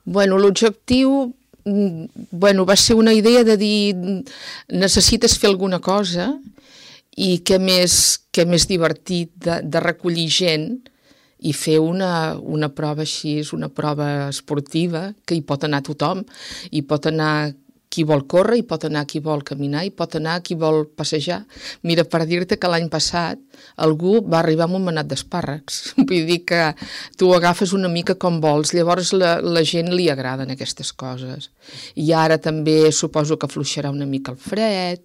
Bueno, l'objectiu va ser una idea de dir necessites fer alguna cosa i què més divertit de recollir gent i fer una prova així, una prova esportiva que hi pot anar tothom, hi pot anar qui vol córrer, hi pot anar qui vol caminar, hi pot anar qui vol passejar. Mira, per dir-te que l'any passat algú va arribar amb un manat d'espàrrecs. Vull dir que tu ho agafes una mica com vols, llavors la gent li agraden aquestes coses. I ara també suposo que afluixarà una mica el fred